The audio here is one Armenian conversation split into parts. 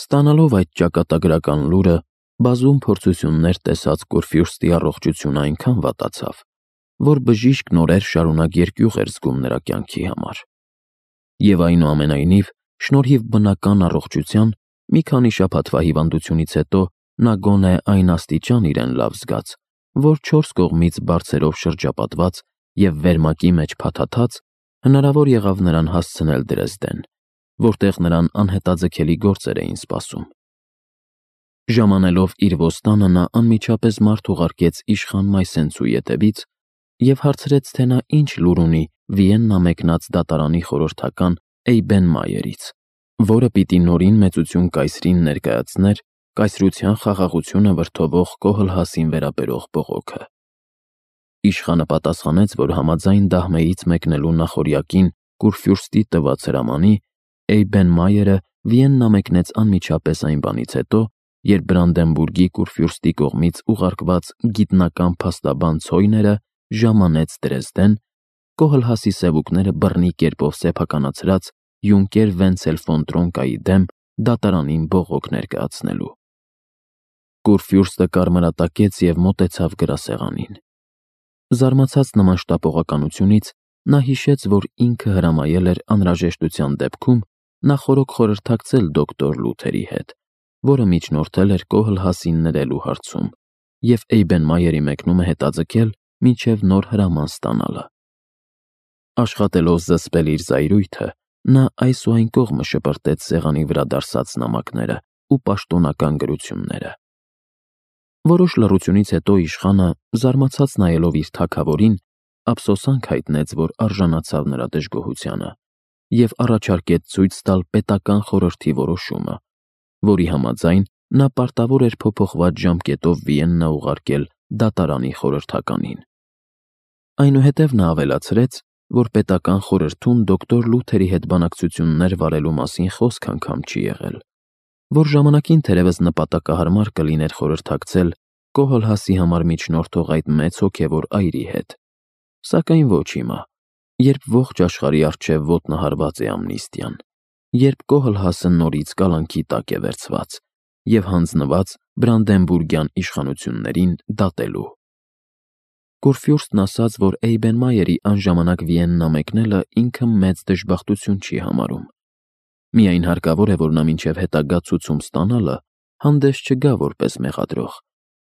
Ստանալով այդ ճակատագրական լուրը, բազում փորձություններ տեսած Կուրֆյուրստի առողջությունը այնքան վատացավ, որ բժիշկն օրեր շարունակ երկյուղ էր զգում նրա կյանքի համար։ Եվ այնուամենայնիվ, շնորհիվ բնական առողջության, մի քանի շաբաթվա հիվանդությունից հետո նա գոնե այն աստիճան իրեն լավ զգաց, որ 4 կողմից բարձերով շրջապատված և վերմակի մեջ փաթաթած, հնարավոր եղավ նրան հասցնել Դրեզդեն, որտեղ նրան անհետաձգելի գործեր էին սպասում։ Ժամանելով իր ոստանը նա անմիջապես մարդ ուղարկեց իշխան Մայսենցու ետևից և հարցրեց, թե նա ինչ լուր ունի Վիեննա մեկնած դատարանի խորհրդական Էյբենմայերից, որը պիտի նորին մեծություն կայսրին ներկայացներ կայսրության խաղաղությունը վրդովող Կոհլհասին վերաբերող բողոքը։ Իշխանը պատասխանեց, որ համաձայն Դահմեից մեկնելու նախօրյակին Կուրֆյուրստի տված հրամանի, Էյբենմայերը Վիեննա մեկնեց անմիջապես այն բանից հետո, երբ Բրանդենբուրգի Կուրֆյուրստի կողմից ուղարկված գիտնական փաստաբան Ցոյները ժամանեց Դրեզդեն, Կոհլհասի սևուկները բռնի կերպով սեփականացրած յունկեր Վենցել ֆոն Տրոնկայի դեմ դատարանին բողոք ներկայացնելու։ Կուրֆյուրստը կարմրատակեց և մոտեցավ գրասեղանին։ Զարմացած նման շտապողականությունից, նա հիշեց, որ ինքը հրամայել էր անհրաժեշտության դեպքում նախօրոք խորհրդակցել դոկտոր Լութերի հետ, որը միջնորդել էր Կոհլհասին ներելու հարցում, և Էյբենմայերի մեկնումը հետաձգել մինչև նոր հրաման ստանալը։ Աշխատելով զսպել իր զայրույթը, նա այս ու այն կողմը շպրտեց սեղանի վրա դարսած նամակները ու պաշտոնական գրությունները։ Որոշ լռությունից հետո իշխանը, զարմացած նայելով իր թագավորին, ափսոսանք հայտնեց, որ արժանացավ նրա դժգոհությանը, և առաջարկեց ցույց տալ պետական խորհրդի որոշումը, որի համաձայն նա պարտավոր էր փոփոխված ժամկետով Վիեննա ուղարկել դատարանի խորհրդականին։ Այնուհետև նա ավելացրեց, որ պետական խորհրդում դոկտոր Լութերի հետ բանակցություններ վարելու մասին խոսք անգամ չի եղել, որ ժամանակին թերևս նպատակահարմար կլիներ խորհրդակցել Կոհլհասի համար միջնորդող այդ մեծ հոգևոր այրի հետ, սակայն ոչ հիմա, երբ ողջ աշխարհի առջև ոտնահարված է ամնիստիան, երբ Կոհլհասը նորից կալանքի տակ է վերցված և հանձնված Բրանդենբուրգյան իշխանություններին դատելու։ Կուրֆյուրստն ասաց, որ Էյբենմայերի անժամանակ Վիեննա մեկնելը ինքը մեծ դժբախտություն չի համարում։ Միայն հարկավոր է, որ նա մինչև հետագա ցուցում ստանալը հանդես չգա որպես մեղադրող,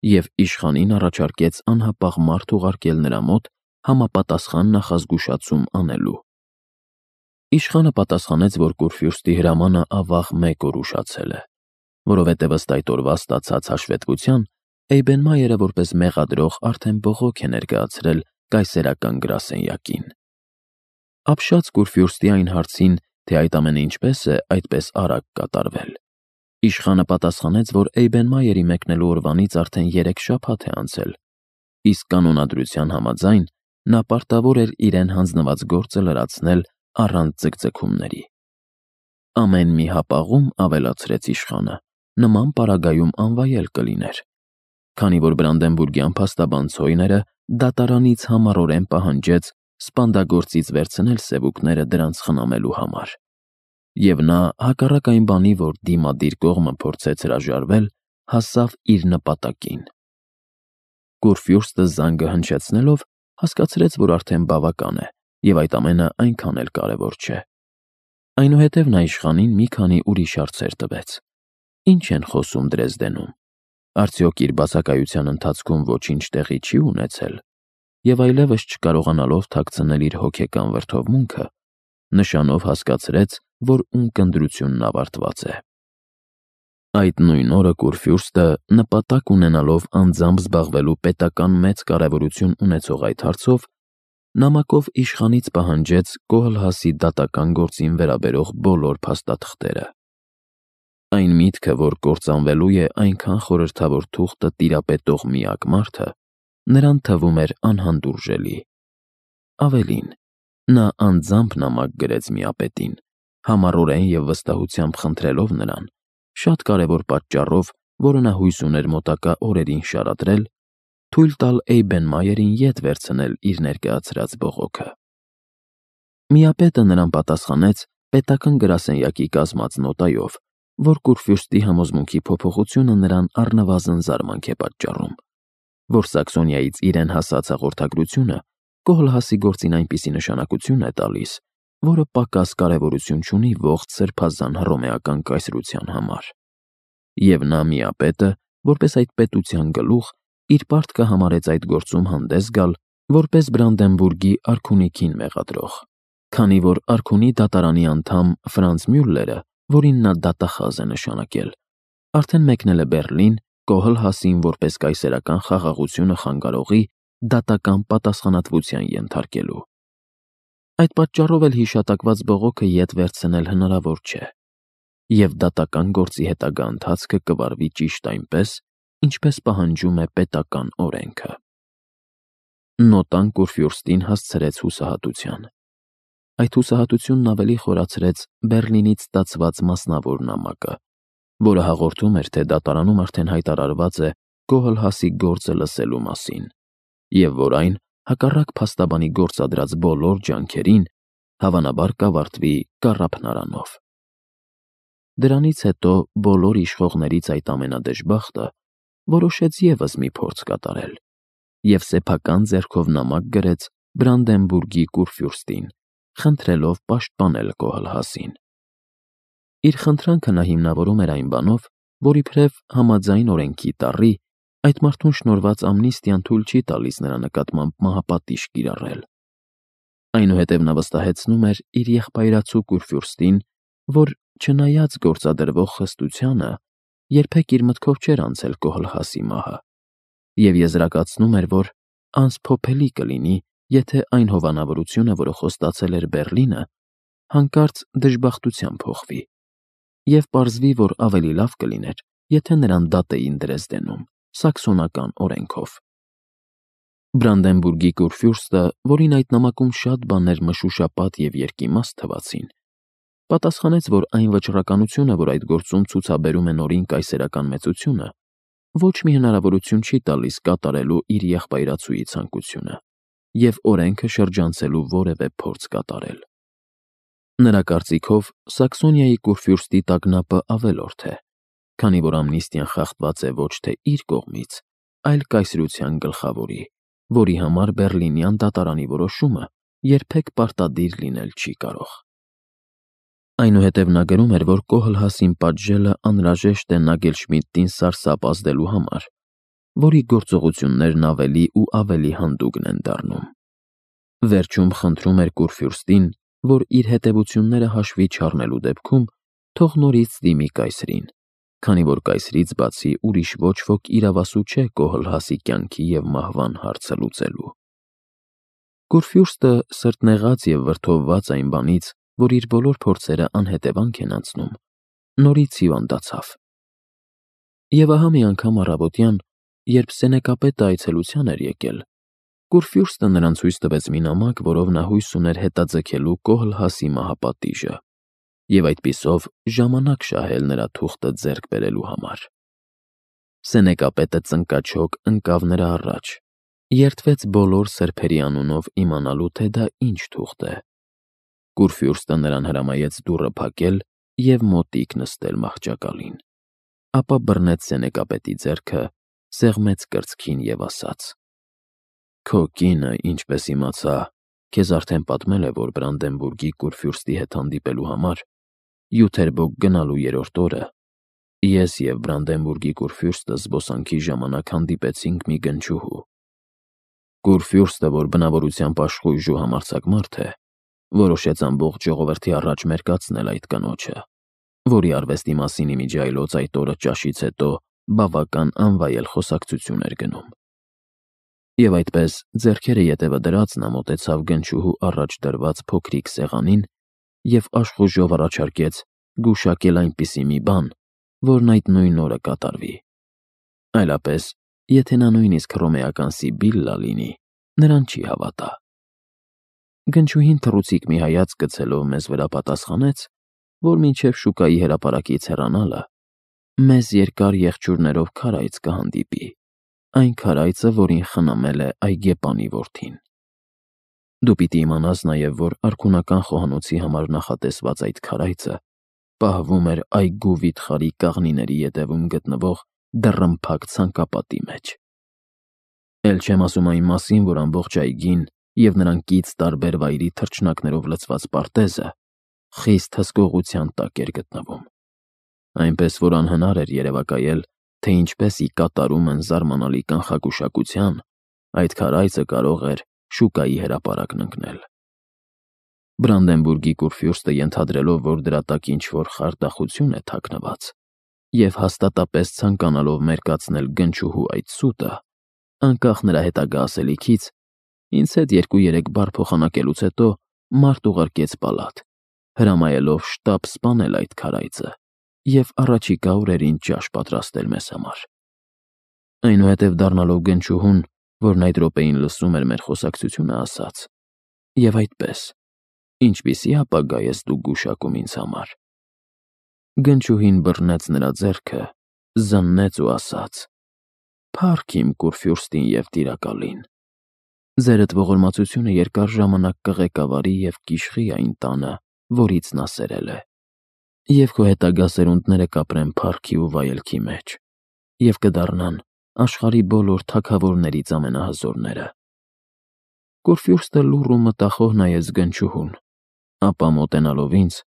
և իշխանին առաջարկեց անհապաղ մարդ ուղարկել նրա մոտ համապատասխան նախազգուշացում անելու։ Իշխանը պատասխանեց, որ Կուրֆյուրստի հրամանը ավաղ 1 օր ուշացել է, որովհետև ըստ այդ օրվա ստացած հաշվետվության Էյբենմայերը որպես մեղադրող արդեն բողոք է ներկայացրել կայսերական գրասենյակին։ Ապշած Կուրֆյուրստի այն հարցին, թե այդ ամենը ինչպես է այդպես արագ կատարվել, իշխանը պատասխանեց, որ Էյբենմայերի մեկնելու օրվանից արդեն 3 շաբաթ է անցել, իսկ կանոնադրության համաձայն նա պարտավոր էր իրեն հանձնված գործը լրացնել առանց ձգձգումների։ Ամեն մի հապաղում, ավելացրեց իշխանը, նման պարագայում անվայել կլիներ, քանի որ Բրանդենբուրգյան փաստաբան Ցոյները դատարանից համառորեն պահանջեց սպանդագործից վերցնել սևուկները դրանց խնամելու համար, և նա, հակառակ այն բանի, որ դիմադիր կողմը փորձեց հրաժարվել, հասավ իր նպատակին։ Կուրֆյուրստը զանգը հնչեցնելով հասկացրեց, որ արդեն բավական է, և այդ ամենը այնքան էլ կարևոր չէ։ Այնուհետև նա իշխանին մի քանի ուրիշ հարցեր տվեց. Ինչ են խոսում Դրեզդենում, արդյոք իր բացակայության ընթացքում ոչինչ տեղի չի ունեցել, և այլևս չկարողանալով թաքցնել իր հոգեկան վրդովմունքը, նշանով հասկացրեց, որ ունկնդրությունն ավարտված է։ Այդ նույն օրը Կուրֆյուրստը, նպատակ ունենալով անձամբ զբաղվելու պետական մեծ կարևորություն ունեցող այդ հարցով, նամակով իշխանից պահանջեց Կոհլհասի դատական գործին վերաբերող բոլոր փաստաթղթերը։ Այն միտքը, որ կործանվելու է այնքան խորհրդավոր թուղթը տիրապետող միակ մարդը, նրան թվում էր անհանդուրժելի։ Ավելին, նա անձամբ նամակ գրեց միապետին, համառորեն և վստահությամբ խնդրելով նրան, շատ կարևոր պատճառով, որը նա հույս ուներ մոտակա օրերին շարադրել, թույլ տալ Էյբենմայերին ետ վերցնել իր ներկայացրած բողոքը։ Միապետը նրան պատասխանեց պետական գրասենյակի կազմած նոտայով, որ Կուրֆյուրստի համոզմունքի փոփոխությունը նրան առնվազն զարմանք է պատճառում, որ Սաքսոնիայից իրեն հասած հաղորդագրությունը Կոհլհասի գործին այնպիսի նշանակություն է տալիս, որը պակաս կարևորություն չունի ողջ սրբազան հռոմեական կայսրության համար։ Եվ նա միապետը, որպես այդ պետության գլուխ, իր պարտքը համարեց այդ գործում հանդես գալ, որպես Բրանդենբուրգի արքունիքին մեղադրող, քանի որ արքունի դատարանի անդամ Ֆրանց Մյուլլերը, որին նա դատախազ է նշանակել, արդեն մեկնել է Բեռլին Կոհլհասին որպես կայսերական խաղաղությունը խանգարողի դատական պատասխանատվության ենթարկելու։ Այդ պատճառով էլ հիշատակված բողոքը ետ վերցնել հնարավոր չէ, և դատական գործի հետագա ընթացքը կվարվի ճիշտ այնպես, ինչպես պահանջում է պետական օրենքը։ Նոտան Կուրֆյուրստին հասցրեց հուսահատության։ Այդ հուսահատությունն ավելի խորացրեց Բեռլինից ստացված մասնավոր նամակը, որը հաղորդում էր, թե դատարանում արդեն հայտարարված է Կոհլհասի գործը լսելու մասին, և որ այն, հակառակ փաստաբանի գործադրած բոլոր ջանքերին, հավանաբար կավարտվի կառափնարանով։ Դրանից հետո բոլոր իշխողներից այդ ամենադժբախտը որոշեց ևս մի փորձ կատարել և սեփական ձեռքով նամակ գրեց Բրանդենբուրգի Կուրֆյուրստին, խնդրելով պաշտպանել Կոհլհասին։ Իր խնդրանքը նա հիմնավորում էր այն բանով, որ իբրև համաձայն օրենքի տառի, այդ մարդուն շնորհված ամնիստիան թույլ չի տալիս նրա նկատմամբ մահապատիժ կիրառել։ Այնուհետև նա վստահեցնում էր իր եղբայրացու Կուրֆյուրստին, որ չնայած գործադրվող խստությանը, երբեք իր մտքով չէր անցել Կոհլհասի մահը, և եզրակացնում էր, որ անսփոփելի կլինի, եթե այն հովանավորությունը, որը խոստացել էր Բեռլինը, հանկարծ դժբախտության փոխվի, և պարզվի, որ ավելի լավ կլիներ, եթե նրան դատ էին Դրեզդենում, սաքսոնական օրենքով։ Բրանդենբուրգի Կուրֆյուրստը, որին այդ նամակում շատ բաներ մշուշապատ և երկիմաստ թվացին, պատասխանեց, որ այն վճռականությունը, որ այդ գործում ցուցաբերում է նորին կայսերական մեծությունը, ոչ մի հնարավորություն չի տալիս կատարելու իր եղբայրացուի ցանկությունը և օրենքը շրջանցելու որևէ փորձ կատարել։ Նրա կարծիքով Սաքսոնիայի Կուրֆյուրստի տագնապը ավելորդ է, քանի որ ամնիստիան խախտված է ոչ թե իր կողմից, այլ կայսրության գլխավորի, որի համար Բեռլինյան դատարանի որոշումը երբեք պարտադիր լինել չի կարող։ Այնուհետև նա գրում էր, որ Կոհլհասին պատժելը անհրաժեշտ է Նագելշմիդտին սարսափ ազդելու համար, որի գործողություններն ավելի ու ավելի հանդուգն են դառնում։ Վերջում խնդրում էր Կուրֆյուրստին, որ իր հետևությունները հաշվի չառնելու դեպքում թող նորից դիմի կայսրին, քանի որ կայսրից բացի ուրիշ ոչ ոք իրավասու չէ Կոհլհասի կյանքի և մահվան հարցը լուծելու։ Կուրֆյուրստը սրտնեղած և վրդովված այն բանից, որ իր բոլոր փորձերը անհետևանք են անցնում, նորից հիվանդացավ։ Եվ ահա մի անգամ առավոտյան, երբ Սենեկապետը այցելության էր եկել, Կուրֆյուրստը նրան ցույց տվեց մի նամակ, որով նա հույս ուներ հետաձգելու Կոհլհասի մահապատիժը և այդպիսով ժամանակ շահել նրա թուղթը ձեռք բերելու համար։ Սենեկապետը ծնկաչոք ընկավ նրա առաջ, երդվեց բոլոր սրբերի անունով իմանալու, թե դա ինչ թուղթ է։ Կուրֆյուրստը նրան հրամայեց դուռը փակել և մոտիկ նստել մահճակալին, ապա բռնեց Սենեկապետի ձեռքը, սեղմեց կրծքին և ասաց. «Քո կինը, ինչպես իմացա, քեզ արդեն պատմել է, որ Բրանդենբուրգի Կուրֆյուրստի հետ հանդիպելու համար Յութերբոգ գնալու երրորդ օրը ես և Բրանդենբուրգի Կուրֆյուրստը զբոսանքի ժամանակ հանդիպեցինք մի գնչուհու։ Կուրֆյուրստը, որ բնավորությամբ աշխույժ ու համարձակ մարդ է, որոշեց ամբողջ ժողովրդի առաջ մերկացնել այդ կնոջը, որի արվեստի մասին իմիջիայլոց այդ օրը ճաշից հետո բավական անվայել խոսակցություն էր գնում։ Եվ այդպես, ձեռքերը ետևը դրած, նա մոտեցավ գնչուհու առաջ դրված փոքրիկ սեղանին և աշխուժով առաջարկեց գուշակել այնպիսի մի բան, որն այդ նույն օրը կատարվի։ Այլապես, եթե նա նույնիսկ հռոմեական Սիբիլլա լինի, նրան չի հավատա։ Գնչուհին թռուցիկ մի հայացք գցելով մեզ վրա պատասխանեց, որ մինչև շուկայի հրապարակից հեռանալը մեզ երկար եղջյուրներով քարայծ կհանդիպի, այն քարայծը, որին խնամել է այգեպանի որդին։ Դու պիտի իմանաս նաև, որ արքունական խոհանոցի համար նախատեսված այդ քարայծը պահվում էր այգու վիթխարի կաղնիների ետևում գտնվող դռնփակ ցանկապատի մեջ։ Էլ չեմ ասում այն մասին, որ ամբողջ այգին և նրան կից տարբեր վայրի թռչնակներով լցված պարտեզը խիստ հսկողության տակ էր գտնվում, այնպես որ անհնար էր երևակայել, թե ինչպես ի կատարում են զարմանալի կանխագուշակության այդ քարայծը կարող էր շուկայի հրապարակն ընկնել։ Բրանդենբուրգի կուրֆյուրստը ենթադրելով, որ դրա տակ ինչ-որ խարդախություն է թաքնված, և հաստատապես ցանկանալով մերկացնել գնչուհու այդ սուտը, անկախ նրա հետագա ասելիքից, ինձ հետ 2-3 բառ փոխանակելուց հետո մարդ ուղարկեց պալատ, հրամայելով շտապ սպանել այդ քարայծը և առաջիկա օրերին ճաշ պատրաստել մեզ համար։ Այնուհետև դառնալով գնչուհուն, որն այդ րոպեին լսում էր մեր խոսակցությունը, ասաց. «Եվ այդպես, ինչպիսի ապագա ես դուք գուշակում ինձ համար»։ Գնչուհին բռնեց նրա ձեռքը, զննեց ու ասաց. «Փառք իմ կուրֆյուրստին և տիրակալին։ Ձերդ ողորմածությունը երկար ժամանակ կղեկավարի և կիշխի այն տանը, որից նա սերել է, և քո հետագա սերունդները կապրեն փառքի ու վայելքի մեջ, և կդառնան աշխարհի բոլոր թագավորներից ամենահզորները»։ Կուրֆյուրստը լուռ ու մտախոհ նայեց գնչուհուն, ապա մոտենալով ինձ,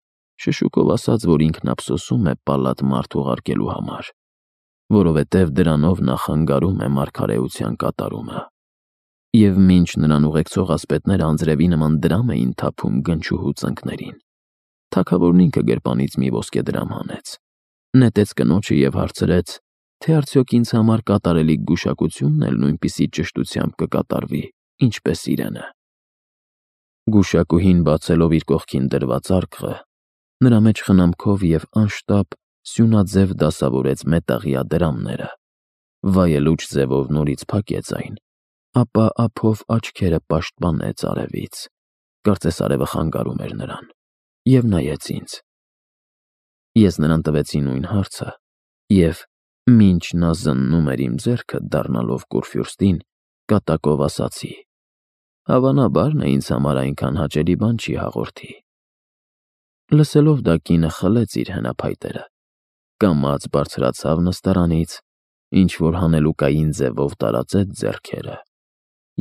շշուկով ասաց, որ ինքն ափսոսում է պալատ մարդ ուղարկելու համար, որովհետև դրանով նա խանգարում է մարգարեության կատարումը։ Եվ մինչ նրան ուղեկցող ասպետները անձրևի նման դրամ էին թափում գնչուհու ծնկներին, թագավորն ինքը գրպանից մի ոսկեդրամ հանեց, նետեց կնոջը և հարցրեց, թե արդյոք ինձ համար կատարելիք գուշակությունն էլ նույնպիսի ճշտությամբ կկատարվի, ինչպես իրենը։ Գուշակուհին բացելով իր կողքին դրված արկղը, նրա մեջ խնամքով և անշտապ սյունաձև դասավորեց մետաղյա դրամները, վայելուչ ձևով նորից փակեց այն, ապա ափով աչքերը պաշտպանեց արևից, կարծես արևը խանգարում էր նրան, և նայեց ինձ։ Ես նրան տվեցի նույն հարցը, և, մինչ նա զննում էր իմ ձեռքը, դառնալով կուրֆյուրստին, կատակով ասացի. «Հավանաբար նա ինձ համար այնքան հաճելի բան չի հաղորդի»։ Լսելով դա, կինը խլեց իր հենափայտերը, կամաց բարձրացավ նստարանից, ինչ-որ հանելուկային ձևով տարածեց ձեռքերը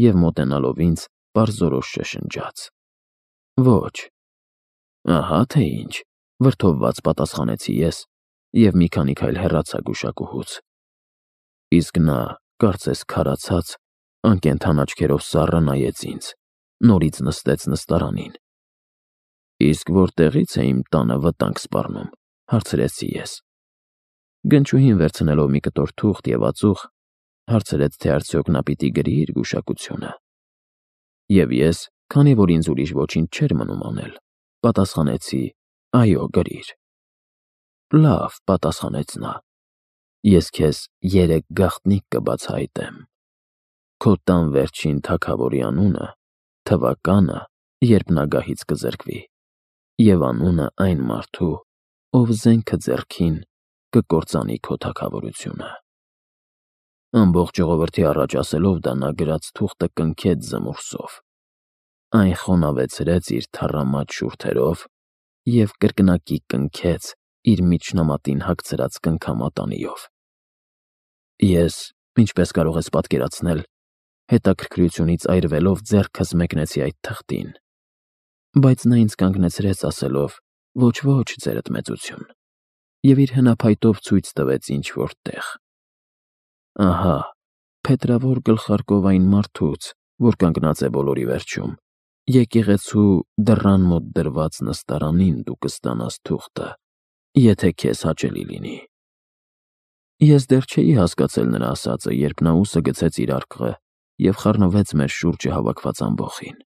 և մոտենալով ինձ, պարզորոշ շշնջաց. «Ոչ»։ «Ահա թե ինչ», վրդովված պատասխանեցի ես և մի քանի քայլ հեռացա գուշակուհուց։ Իսկ նա, կարծես քարացած, անկենդան աչքերով սառը նայեց ինձ, նորից նստեց նստարանին։ «Իսկ որտեղի՞ց է իմ տանը վտանգ սպառնում», հարցրեցի ես։ Գնչուհին վերցնելով մի կտոր թուղթ և ածուխ, հարցրեց, թե արդյոք նա պիտի գրի իր գուշակությունը։ Եվ ես, քանի որ ինձ ուրիշ ոչինչ չէր մնում անել, պատասխանեցի. «Այո, գրիր»։ «Լավ», պատասխանեց նա, «ես քեզ 3 գաղտնիք կբացահայտեմ. քո տան վերջին թագավորի անունը, թվականը, երբ նա գահից կզրկվի, և անունը այն մարդու, ով զենքը ձեռքին կկործանի քո թագավորությունը»։ Ամբողջ ժողովրդի առաջ ասելով դա, նա գրած թուղթը կնքեց զմուրսով, այն խոնավեցրեց իր թառամատ շուրթերով և կրկնակի կնքեց իր միջնամատին հագցրած կնքամատանիով։ Ես, ինչպես կարող ես պատկերացնել, հետաքրքրությունից այրվելով ձեռքս մեկնեցի այդ թղթին, բայց նա ինձ կանգնեցրեց ասելով. «Ոչ, ձերդ մեծություն», և իր հենափայտով ցույց տվեց ինչ-որ տեղ։ Ահա, փետրավոր գլխարկով այն մարդուց, որ կանգնած է բոլորի վերջում, եկեղեցու դռան մոտ դրված նստարանին դու կստանաս թուղթը, եթե քեզ հաճելի լինի։ Ես դեռ չէի հասկացել նրա ասածը, երբ նա ուսը գցեց իր արկղը և խառնվեց մեր շուրջը հավաքված ամբոխին։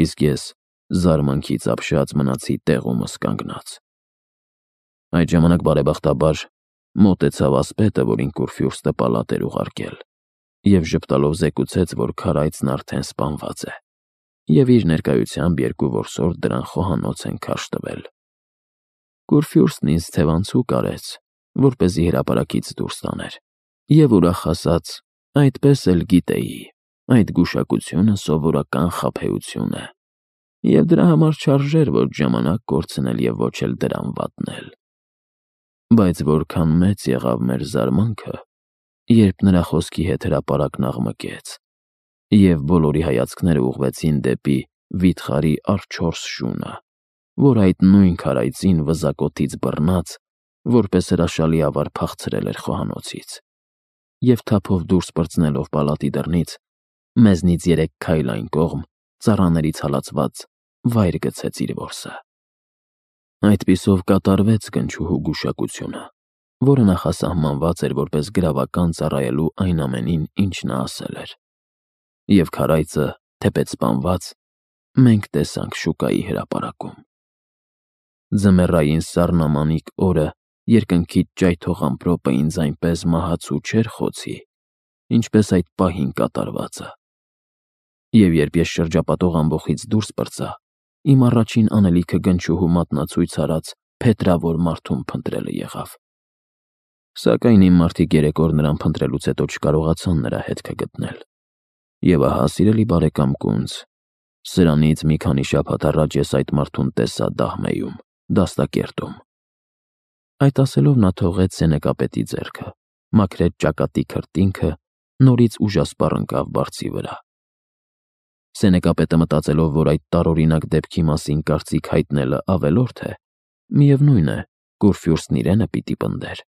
Իսկ ես զարմանքից ապշած մնացի տեղումս կանգնած։ Այդ ժամանակ, բարեբախտաբար, մոտեցավ ասպետը, որին կուրֆյուրստը պալատ էր ուղարկել, և ժպտալով զեկուցեց, որ քարայծն արդեն սպանված է, և իր ներկայությամբ 2 որսորդ դրան խոհանոց են քարշ տվել։ Կուրֆյուրստն ինձ թևանցուկ արեց, որպեսզի հրապարակից դուրս տաներ, և ուրախ ասաց. «Այդպես էլ գիտեի, այդ գուշակությունը սովորական խաբեություն է»։ Եվ դրա համար չարժեր ոչ ժամանակ կորցնել և ոչ էլ դրամ վատնել։ Բայց որքան մեծ եղավ մեր զարմանքը, երբ նրա խոսքի հետ հրապարակն աղմկեց, և բոլորի հայացքները ուղղվեցին դեպի վիթխարի առ 4 շունը, որ այդ նույն քարայծին վզակոթից բռնած, որպես հրաշալի ավար փախցրել էր խոհանոցից, և թափով դուրս պրծնելով պալատի դռնից, մեզնից 3 քայլ այն կողմ, ծառաներից հալածված, վայր գցեց իր որսը։ Այդպիսով կատարվեց գնչուհու գուշակությունը, որը նախասահմանված էր որպես գրավական ծառայելու այն ամենին, ինչ նա ասել էր։ Եվ քարայծը, թեպետ սպանված, մենք տեսանք շուկայի հրապարակում։ Ձմեռային սառնամանիք օրը երկնքից ճայթող ամպրոպը ինձ այնպես մահացու չէր խոցի, ինչպես այդ պահին կատարվածը։ Եվ երբ ես շրջապատող ամբոխից դուրս պրծա, իմ առաջին անելիքը գնչուհու մատնացույց արած փետրավոր մարդուն փնտրելը եղավ։ Սակայն իմ մարդիկ 3 օր նրան փնտրելուց հետո չկարողացան նրա հետքը գտնել։ Եվ ահա, սիրելի բարեկամ Կունց, սրանից մի քանի շաբաթ առաջ ես այդ մարդուն տեսա Դահմեյում, դաստակերտում։ Այդ ասելով նա թողեց սենեկապետի ձեռքը, մաքրեց ճակատի քրտինքը, նորից ուժասպառ ընկավ բարձի վրա։ Սենեկապետը մտածելով, որ այդ տարօրինակ դեպքի մասին կարծիք հայտնելը ավելորդ է, միևնույն է, Կուրֆյուրստն իրենը պիտի պնդեր,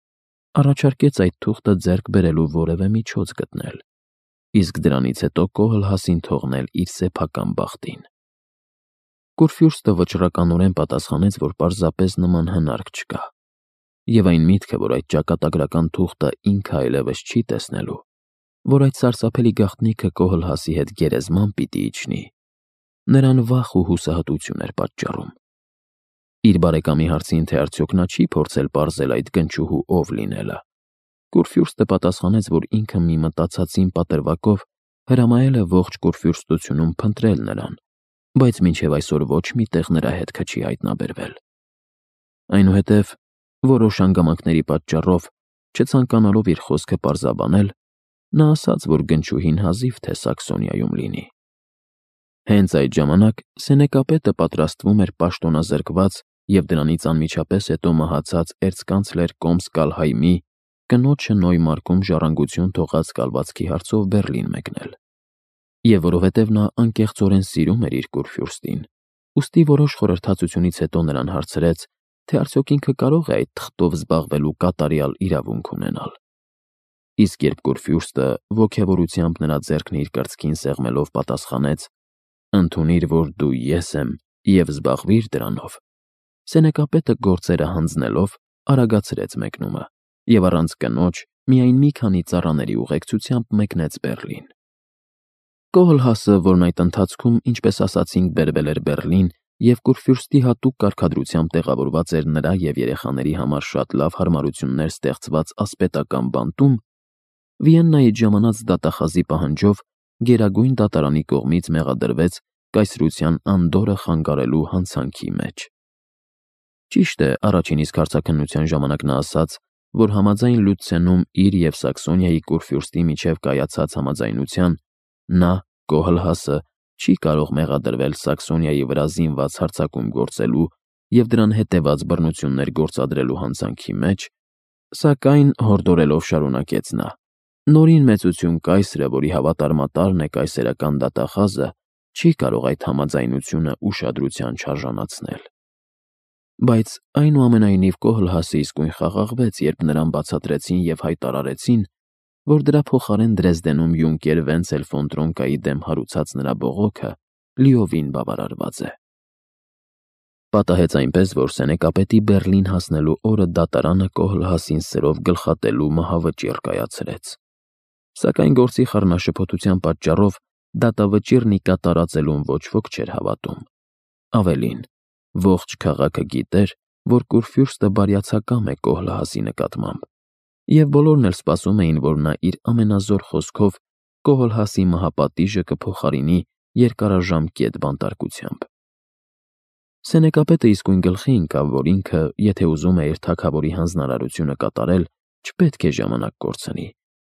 առաջարկեց այդ թուղթը ձեռք բերելու որևէ միջոց գտնել, իսկ դրանից հետո Կոհլհասին թողնել իր սեփական բախտին։ Կուրֆյուրստը վճռականորեն պատասխանեց, որ պարզապես նման հնարք չկա, և այն միտքը, որ այդ ճակատագրական թուղթը ինքը այլևս չի տեսնելու, որ այդ սարսափելի գաղտնիքը Կոհլհասի հետ գերեզման պիտի իջնի, նրան վախ ու հուսահատություն էր պատճառում։ Իր բարեկամի հարցին, թե արդյոք նա չի փորձել պարզել այդ գնչուհու ով լինելը, Կուրֆյուրստը պատասխանեց, որ ինքը մի մտածածին պատրվակով հրամայել է ողջ Կուրֆյուրստությունում փնտրել նրան, բայց մինչև այսօր ոչ մի տեղ նրա հետքը չի հայտնաբերվել։ Այնուհետև, որոշ հանգամանքների պատճառով, չցանկանալով իր խոսքը պարզաբանել, նա ասաց, որ գնչուհին հազիվ թե Սաքսոնիայում լինի։ Հենց այդ ժամանակ սենեկապետը պատրաստվում էր պաշտոնազրկված և դրանից անմիջապես հետո մահացած էրցկանցլեր Կոմս Կալհայմի կնոջը Նոյմարկում ժառանգություն թողած կալվածքի հարցով Բեռլին մեկնել։ Եվ որովհետև նա անկեղծորեն սիրում էր իր Կուրֆյուրստին, ուստի որոշ խորհրդածությունից հետո նրան հարցրեց, թե արդյոք ինքը կարող է այդ թղթով զբաղվելու կատարյալ իրավունք ունենալ։ Իսկ երբ Կուրֆյուրստը ոգևորությամբ նրա ձեռքն իր կրծքին սեղմելով պատասխանեց. «Ընդունիր, որ դու ես եմ, և զբաղվիր դրանով», սենեկապետը գործերը հանձնելով արագացրեց մեկնումը և առանց կնոջ միայն մի քանի ծառաների ուղեկցությամբ մեկնեց Բեռլին։ Կոհլհասը, որն այդ ընթացքում, ինչպես ասացինք, բերվել էր Բեռլին և Կուրֆյուրստի հատուկ կարգադրությամբ տեղավորված էր նրա և երեխաների համար շատ լավ հարմարություններ ստեղծված ասպետական բանտում, Վիեննայից ժամանած դատախազի պահանջով Գերագույն դատարանի կողմից մեղադրվեց կայսրության անդորրը խանգարելու հանցանքի մեջ։ Ճիշտ է, առաջին իսկ հարցաքննության ժամանակ նա ասաց, որ համաձայն Լյուցենում իր և Սաքսոնիայի Կուրֆյուրստի միջև կայացած համաձայնության, նա, Կոհլհասը, չի կարող մեղադրվել Սաքսոնիայի վրա զինված հարձակում գործելու և դրան հետևած բռնություններ գործադրելու հանցանքի մեջ, սակայն, հորդորելով շարունակեց նա, նորին մեծություն կայսրը, որի հավատարմատարն է կայսերական դատախազը, չի կարող այդ համաձայնությունը ուշադրության չարժանացնել։ Բայց այնուամենայնիվ Կոհլհասը իսկույն խաղաղվեց, երբ նրան բացատրեցին և հայտարարեցին, որ դրա փոխարեն Դրեզդենում յունկեր Վենցել ֆոն Տրոնկայի դեմ հարուցած նրա բողոքը լիովին բավարարված է։ Պատահեց այնպես, որ սենեկապետի Բեռլին հասնելու օրը դատարանը Կոհլհասին սրով գլխատելու մահավճիռ կայացրեց։ Սակայն գործի խառնաշփոթության պատճառով դատավճիռն ի կատարածելուն ոչ ոք չէր հավատում։ Ավելին, ողջ քաղաքը գիտեր, որ Կուրֆյուրստը բարյացակամ է Կոհլհասի նկատմամբ, և բոլորն էլ սպասում էին, որ նա իր ամենազոր խոսքով Կոհլհասի մահապատիժը կփոխարինի երկարաժամկետ բանտարկությամբ։ Սենեկապետը իսկույն գլխի ընկավ, որ ինքը, եթե ուզում է իր թագավորի հանձնարարությունը կատարել, չպետք է ժամանակ կորցնի,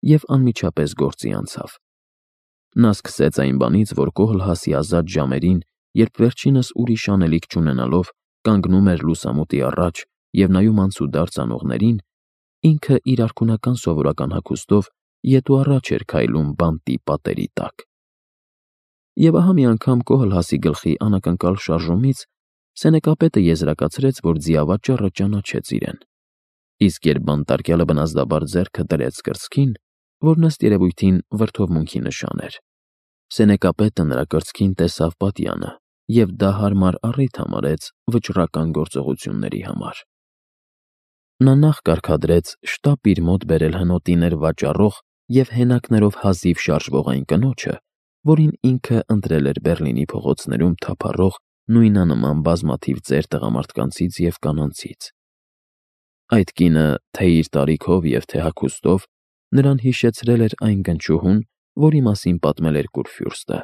և անմիջապես գործի անցավ։ Նա սկսեց այն բանից, որ Կոհլհասի ազատ ժամերին երբ վերջինս ուրիշ անելիք չունենալով կանգնում էր լուսամուտի առաջ և նայում անցուդարձ անողներին, ինքը իր արքունական սովորական հագուստով ետ ու առաջ էր քայլում բանտի պատերի տակ։ Եվ ահա մի անգամ Կոհլհասի գլխի անակնկալ շարժումից սենեկապետը եզրակացրեց, որ ձիավաճառը ճանաչեց իրեն, իսկ երբ բանտարկյալը բնազդաբար ձեռքը դրեց կրծքին, որ ըստ երևույթին վրդովմունքի նշան էր, սենեկապետը նրա կրծքին տեսավ պատյանը և դա հարմար առիթ համարեց վճռական գործողությունների համար։ Նա նախ կարգադրեց շտապ իր մոտ բերել հնոտիներ վաճառող և հենակներով հազիվ շարժվող այն կնոջը, որին ինքը ընտրել էր Բեռլինի փողոցներում թափառող նույնանման բազմաթիվ ծեր տղամարդկանցից և կանանցից։ Այդ կինը թե՛ իր տարիքով և թե՛ հագուստով նրան հիշեցրել էր այն գնչուհուն, որի մասին պատմել էր Կուրֆյուրստը։